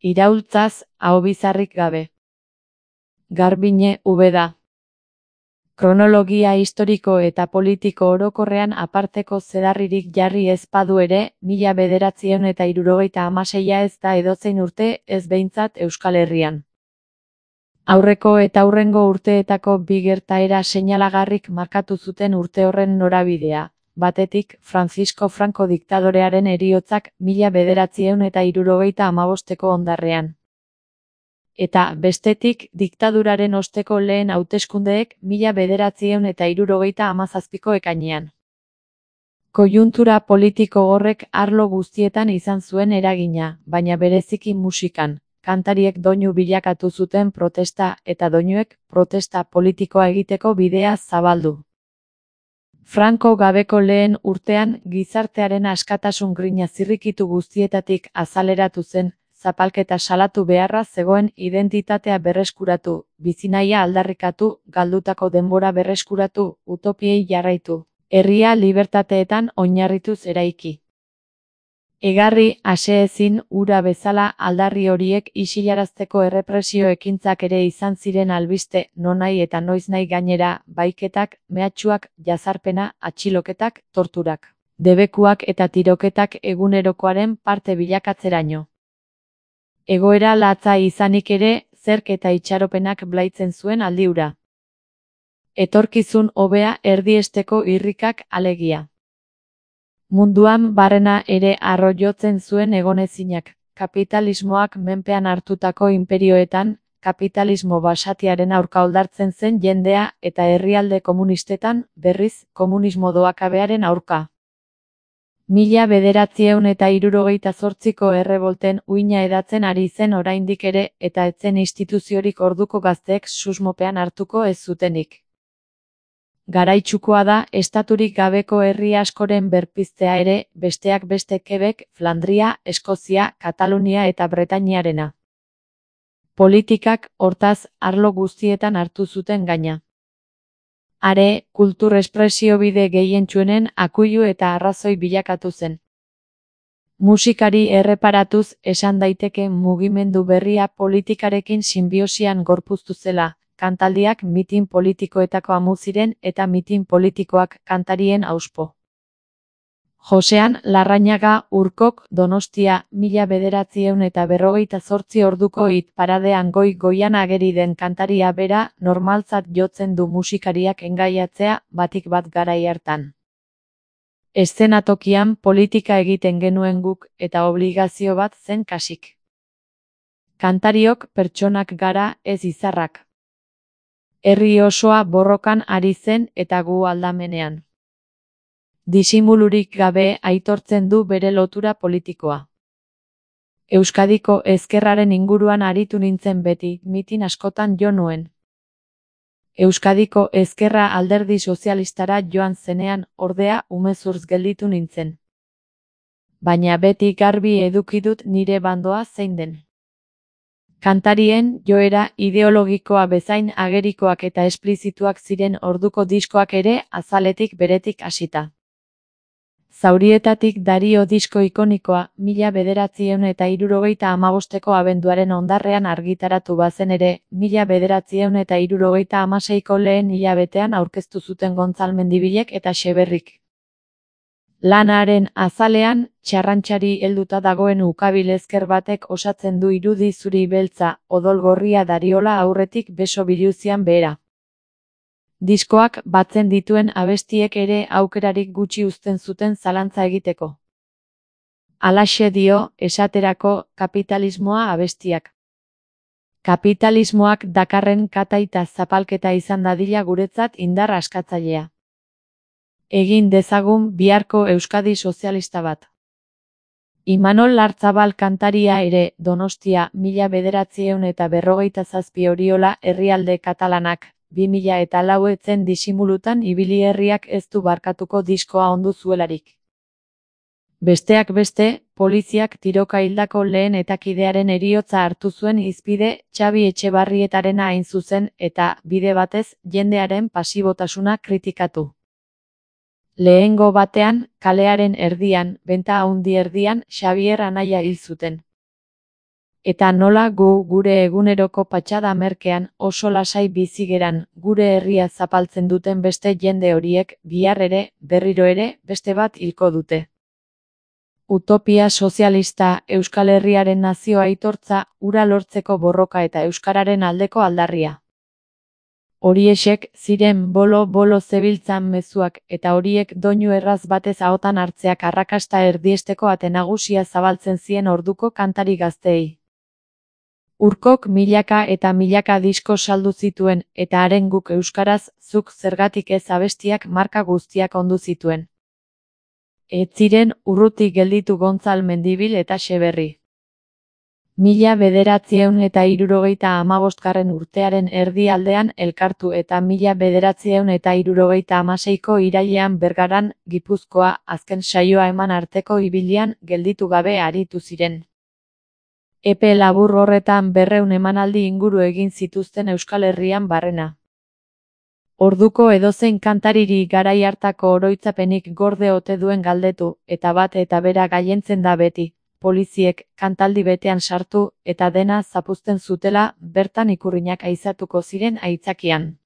Iraultzaz, ahobizarrik gabe. Garbiñe, Ubeda. Kronologia historiko eta politiko orokorrean aparteko zedarririk jarri ez badu ere, 1976 ez da edozein urte, ez behintzat Euskal Herrian. Aurreko eta aurrengo urteetako bi gertaera seinalagarrik markatu zuten urte horren norabidea. Batetik, Francisco Franco diktadorearen heriotzak 1975 hondarrean. Eta, bestetik, diktaduraren osteko lehen hauteskundeek 1977ko ekainean. Koiuntura politiko horrek arlo guztietan izan zuen eragina, baina bereziki musikan. Kantariek doinu bilakatu zuten protesta eta doinuek protesta politikoa egiteko bidea zabaldu. Franco gabeko lehen urtean gizartearen askatasun grina zirrikitu guztietatik azaleratu zen, zapalketa salatu beharra zegoen identitatea berreskuratu, bizinahia aldarrikatu, galdutako denbora berreskuratu, utopiei jarraitu, herria libertateetan oinarrituz eraiki. Egarri, aseezin, ura bezala aldarri horiek isilarazteko errepresio ekintzak ere izan ziren albiste, nonahi eta noiznahi gainera, baiketak, mehatxuak, jazarpena, atxiloketak, torturak, debekuak eta tiroketak egunerokoaren parte bilakatzeraino. Egoera latza izanik ere, zerk eta itxaropenak blaitzen zuen aldi hura. Etorkizun hobea erdiesteko irrikak alegia. Munduan barrena ere harro jotzen zuen egonezinak, kapitalismoak menpean hartutako inperioetan, kapitalismo basatiaren aurka oldartzen zen jendea eta herrialde komunistetan, berriz, komunismo doakabearen aurka. 1978ko errebolten uina edatzen ari zen oraindik ere eta etzen instituziorik orduko gazteek susmopean hartuko ez zutenik. Garaitsukoa da, estaturik gabeko herri askoren berpiztea ere, besteak beste Quebec, Flandria, Eskozia, Katalunia eta Bretainiarena. Politikak, hortaz, arlo guztietan hartu zuten gaina. Are, kultur espresio bide gehientsuenen akuilu eta arrazoi bilakatu zen. Musikari erreparatuz, esan daiteke mugimendu berria politikarekin sinbiosian gorpuztu zela. Kantaldiak mitin politikoetako amu ziren eta mitin politikoak kantarien auspo. Josean Larrañaga Urkok Donostia 1958 orduko hit paradean goi-goian ageri den kantaria bera normaltzat jotzen du musikariak engaiatzea batik bat garai hartan. Eszenatokian politika egiten genuen guk eta obligazio bat zen kasik. Kantariok pertsonak gara ez izarrak. Herri osoa borrokan ari zen eta gu aldamenean. Disimulurik gabe aitortzen du bere lotura politikoa. Euskadiko ezkerraren inguruan aritu nintzen beti, mitin askotan jo nuen. Euskadiko ezkerra alderdi sozialistara joan zenean, ordea, umezurtz gelditu nintzen. Baina beti garbi eduki dut nire bandoa zein den. Kantarien joera ideologikoa bezain agerikoak eta esplizituak ziren orduko diskoak ere azaletik beretik hasita. Zaurietatik Dario disko ikonikoa 1975ko abenduaren hondarrean argitaratu bazen ere, 1976ko lehen hilabetean aurkeztu zuten Gontzal Mendibilek eta Xeberrik. Lanaren azalean, txarrantxari helduta dagoen ukabil ezker batek osatzen du irudi zuri beltza, odol gorria dariola aurretik beso biluzian behera. Diskoak batzen dituen abestiek ere aukerarik gutxi uzten zuten zalantza egiteko. Halaxe dio, esaterako, kapitalismoa abestiak. Kapitalismoak dakarren kataita zapalketa izan dadila guretzat indar askatzailea. Egin dezagun biharko Euskadi sozialista bat. Imanol Lartzabal kantaria ere, Donostia 1957 Oriola herrialde katalanak, 2004 etzen disimulutan ibili herriak ez du barkatuko diskoa ondu zuelarik. Besteak beste, poliziak tiroka hildako lehen etakidearen heriotza hartu zuen hizpide Xabi Etxebarrietarena hain zuzen eta, bide batez, jendearen pasibotasuna kritikatu. Lehengo batean, kalearen erdian, benta haundi erdian, Xabier anaia hil zuten. Eta nola gu gure eguneroko patxada merkean oso lasai bizi geran, gure herria zapaltzen duten beste jende horiek bihar ere, berriro ere, beste bat hilko dute. Utopia sozialista, Euskal Herriaren nazio aitortza, hura lortzeko borroka eta euskararen aldeko aldarria. Horiexek ziren bolo-bolo zebiltzan mezuak eta horiek doinu erraz batez ahotan hartzeak arrakasta erdiesteko ate nagusia zabaltzen zien orduko kantari gazteei. Urkok milaka eta milaka disko saldu zituen eta haren guk euskaraz zuk zergatik ez abestiak marka guztiak ondu zituen. Ez ziren urruti gelditu Gontzal Mendibil eta Xeberri. 1975 urtearen erdialdean elkartu eta 1976ko irailean Bergaran, Gipuzkoa, azken saioa eman arteko ibilian gelditu gabe aritu ziren. Epe labur horretan 200 emanaldi inguru egin zituzten Euskal Herrian barrena. Orduko edozein kantariri garai hartako oroitzapenik gorde ote duen galdetu, eta bat eta bera gailentzen da beti. Poliziek kantaldi betean sartu eta dena zapuzten zutela bertan ikurrinak aizatuko ziren aitzakian.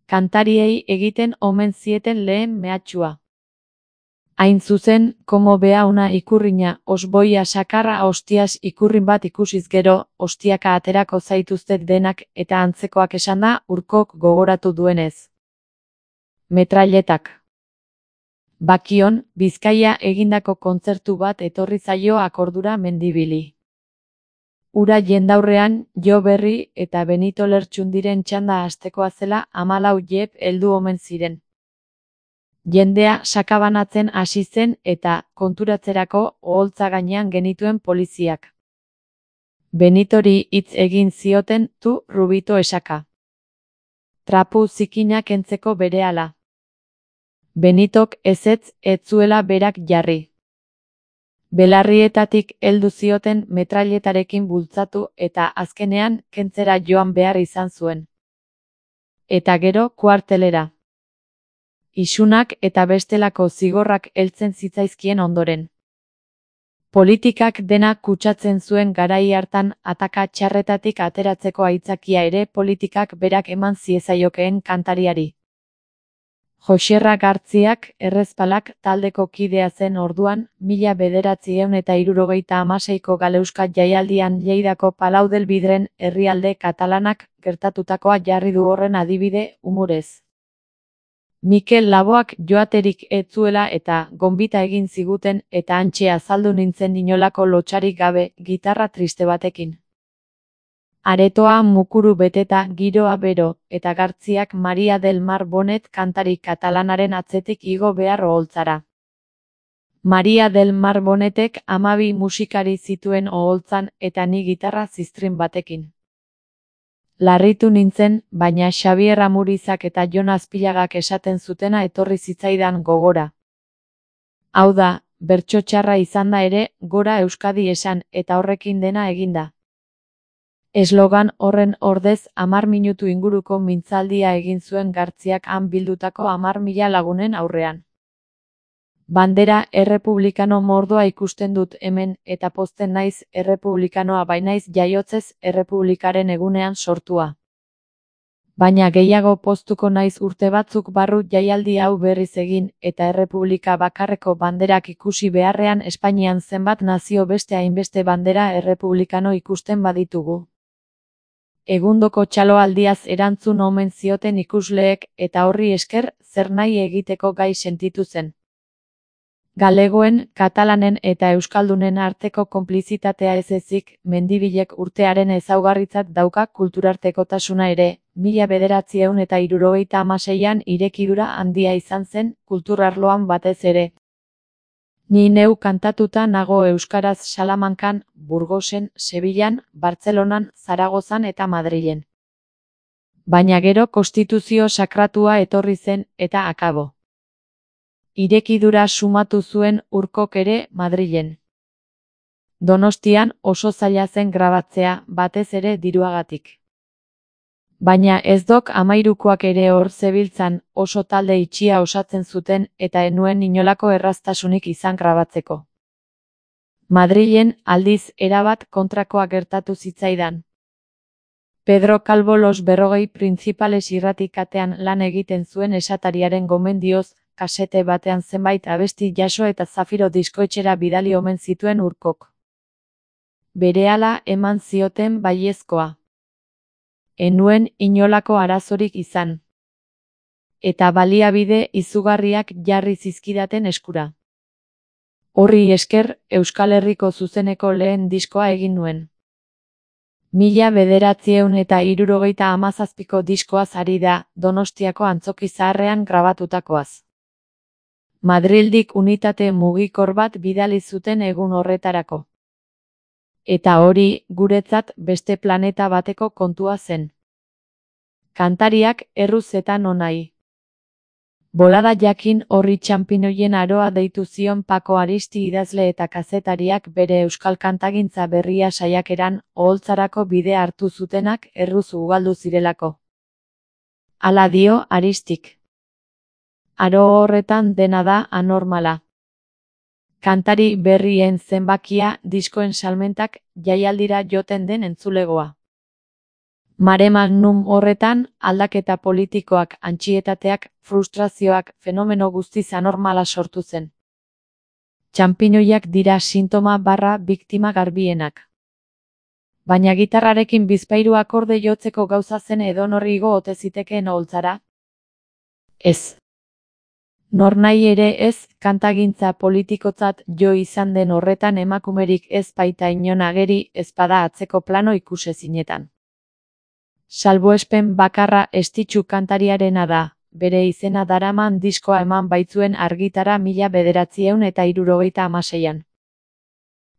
Kantariei egiten omen zieten lehen mehatxua. Hain zuzen, komo bea una ikurrina, osboia sakarra hostias ikurrin bat ikusiz gero, hostiaka aterako zaituztet denak eta antzekoak esanda Urkok gogoratu duenez. Metrailetak. Bakion, Bizkaia egindako kontzertu bat etorri zaio Akordura Mendibili. Ura jendaurrean, Jo Berri eta Benito Lertxundiren txanda hastekoa zela 14 jep heldu omen ziren. Jendea sakabanatzen hasi zen eta, konturatzerako, oholtza gainean genituen poliziak. Benitori hitz egin zioten, tu Rubito esaka. Trapu zikinak entzeko berehala. Benitok ezetz ez zuela berak jarri. Belarrietatik heldu zioten metrailetarekin bultzatu eta azkenean kentzera joan behar izan zuen. Eta gero kuartelera. Isunak eta bestelako zigorrak heltzen zitzaizkien ondoren. Politikak dena kutsatzen zuen garai hartan ataka txarretatik ateratzeko aitzakia ere politikak berak eman ziezaiokeen kantariari. Joxerra Gartziak, Errezpalak taldeko kidea zen orduan, 1976ko Galeuska jaialdian Lleidako Palau del Vidren herrialde katalanak gertatutakoa jarri du horren adibide umorez. Mikel Laboak joaterik ez zuela eta gonbita egin ziguten eta hantxe azaldu nintzen inolako lotsarik gabe gitarra triste batekin. Aretoa mukuru beteta giroa bero, eta Gartziak Maria del Mar Bonet kantari katalanaren atzetik igo behar oholtzara. Maria del Mar Bonetek 12 musikari zituen oholtzan eta ni gitarra ziztrin batekin. Larritu nintzen, baina Xabier Amurizak eta Jon Azpilagak esaten zutena etorri zitzaidan gogora. Hau da, bertso txarra izanda ere, gora Euskadi esan eta horrekin dena eginda. Eslogan horren ordez 10 minutu inguruko mintzaldia egin zuen Gartziak han bildutako 10.000 lagunen aurrean. Bandera errepublikano mordoa ikusten dut hemen eta pozten naiz errepublikanoa bainaiz jaiotzez errepublikaren egunean sortua. Baina gehiago poztuko naiz urte batzuk barru jaialdi hau berriz egin eta errepublika bakarreko banderak ikusi beharrean Espainian zenbat nazio beste hainbeste bandera errepublikano ikusten baditugu. Egundoko txaloaldiaz erantzun omen zioten ikusleek eta horri esker zer nahi egiteko gai sentitu zen. Galegoen, katalanen eta euskaldunen arteko konplizitatea ez ezik, Mendibilek urtearen ezaugarritzat dauka kulturartekotasuna ere, 1976an irekidura handia izan zen, kulturarloan batez ere. Ni neu kantatuta nago euskaraz Salamankan, Burgosen, Sevillan, Bartzelonan, Zaragozan eta Madrilen. Baina gero konstituzio sakratua etorri zen eta akabo. Irekidura sumatu zuen Urkok ere Madrilen. Donostian oso zaila zen grabatzea, batez ere diruagatik. Baina ez dok 13koak ere hor zebiltzan, oso talde itxia osatzen zuten eta enuen inolako erraztasunik izan grabatzeko. Madrilen, aldiz, erabat kontrakoa gertatu zitzaidan. Pedro Calvo Los 40 Principales irratikatean lan egiten zuen esatariaren gomendioz, kasete batean zenbait abesti jaso eta Zafiro diskoetxera bidali omen zituen Urkok. Berehala eman zioten baiezkoa. Ez nuen inolako arazorik izan. Eta baliabide izugarriak jarri zizkidaten eskura. Horri esker, Euskal Herriko zuzeneko lehen diskoa egin nuen. 1977ko diskoaz ari da, Donostiako Antzoki Zaharrean grabatutakoaz. Madrildik unitate mugikor bat bidali zuten egun horretarako. Eta hori, guretzat, beste planeta bateko kontua zen. Kantariak erruz eta nonai. Bolada jakin horri txanpinoien aroa deitu zion Pako Aristi idazle eta kazetariak bere euskal kantagintza berria saiakeran oholtzarako bide hartu zutenak erruz ugaldu zirelako. Hala dio Aristik. Aro horretan dena da anormala. Kantari berrien zenbakia diskoen salmentak jaialdira joten den entzulegoa. Mare magnum horretan, aldaketa politikoak, antsietateak, frustrazioak, fenomeno guztiz anormala sortu zen. Txanpinoiak dira sintoma barra biktima garbienak. Baina gitarrarekin bizpahiru akorde jotzeko gauza zen edonori igo ote zitekeen oholtzara? Ez. Nornahi ere ez, kantagintza politikotzat jo izan den horretan emakumerik ez baita inon ageri, ezpada atzeko plano ikusezinetan. Salbuespen bakarra Estitxu kantariarena da, bere izena daraman diskoa eman baitzuen argitara 1976an.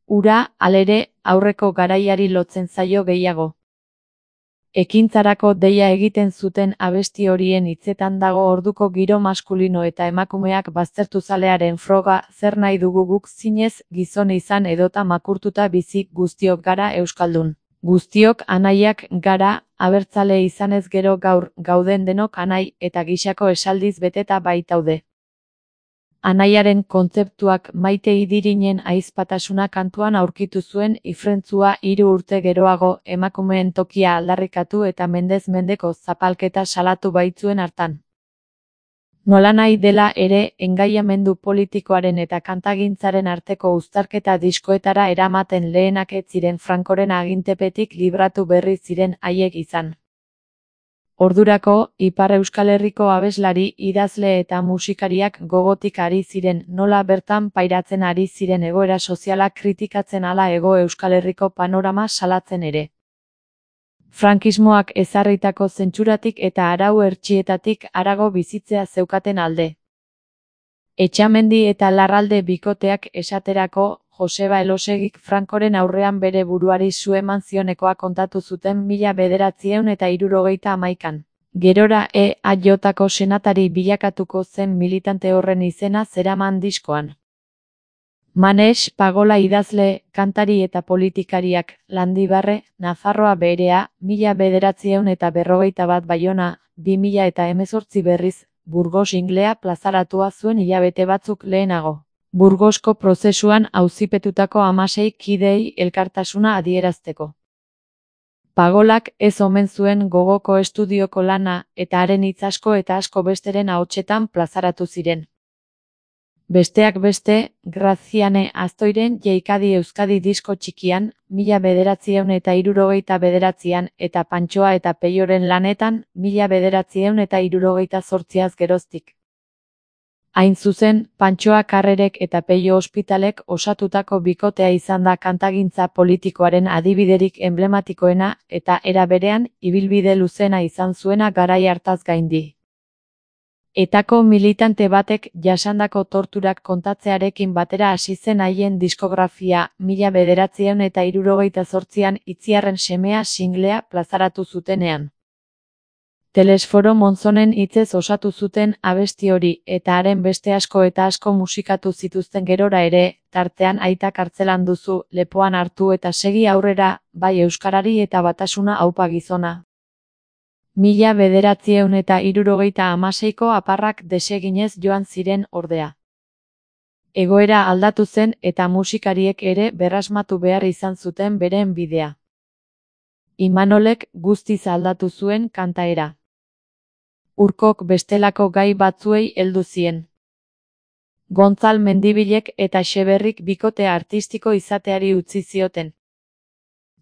Ura, halere, aurreko garaiari lotzen zaio gehiago. Ekintzarako deia egiten zuten abesti horien hitzetan dago orduko giro maskulino eta emakumeak baztertuzalearen froga, zer nahi dugu guk zinez, gizon izan edota makurtuta bizi, guztiok gara euskaldun. Guztiok anaiak gara, abertzale izanez gero gaur, gauden denok anai eta gixako esaldiz beteta baitaude. Anaiaren kontzeptuak Maite Idirinen ahizpatasuna kantuan aurkitu zuen ifrentzua 3 urte geroago emakumeen tokia aldarrikatu eta mendez mendeko zapalketa salatu baitzuen hartan. Nolanahi dela ere, engaiamendu politikoaren eta kantagintzaren arteko uztarketa diskoetara eramaten lehenak ez ziren Frankoren agintepetik libratu berri ziren haiek izan. Ordurako, Ipar Euskal Herriko abeslari, idazle eta musikariak gogotik ari ziren, nola bertan pairatzen ari ziren egoera soziala kritikatzen ala Hego Euskal Herriko panorama salatzen ere. Frankismoak ezarritako zentsuratik eta arau hertsietatik harago bizitzea zeukaten alde. Etxamendi eta Larralde bikoteak esaterako, Joseba Elosegik Frankoren aurrean bere buruari su eman zionekoa kontatu zuten 1971an. Gerora EAJko senatari bilakatuko zen militante horren izena zeraman diskoan. Manex Pagola idazle, kantari eta politikariak, Landibarre, Nafarroa berea, 1941 Baiona, 2018 berriz, Burgos inglea plazaratua zuen hilabete batzuk lehenago. Burgosko prozesuan auzipetutako 16 kideei elkartasuna adierazteko. Pagolak ez omen zuen gogoko estudioko lana, eta haren hitz asko eta asko besteren ahotsetan plazaratu ziren. Besteak beste, Graziane Aztoiren Jeikadi Euskadi disko txikian, 1979an eta Pantxoa eta Peioren lanetan, 1978az geroztik. Hain zuzen, Pantxoa Karrerek eta Peio Ospitalek osatutako bikotea izan da kantagintza politikoaren adibiderik emblematikoena eta era berean, ibilbide luzena izan zuena garai hartaz gaindi. Etako militante batek jasandako torturak kontatzearekin batera hasi zen haien diskografia, 1978an Itziarren semea singlea plazaratu zutenean. Telesforo Monzonen hitzez osatu zuten abesti hori eta haren beste asko eta asko musikatu zituzten gerora ere, tartean Aita kartzelan duzu, lepoan hartu eta segi aurrera, bai euskarari eta batasuna aupa gizona. 1976ko aparrak deseginez joan ziren ordea. Egoera aldatu zen eta musikariek ere berrasmatu behar izan zuten beren bidea. Imanolek guztiz aldatu zuen kantaera. Urkok bestelako gai batzuei heldu zien. Gontzal Mendibilek eta Xeberrik bikote artistiko izateari utzi zioten.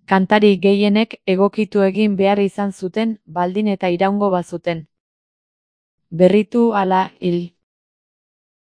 Kantari gehienek egokitu egin behar izan zuten, baldin eta iraungo bazuten. Berritu ala hil.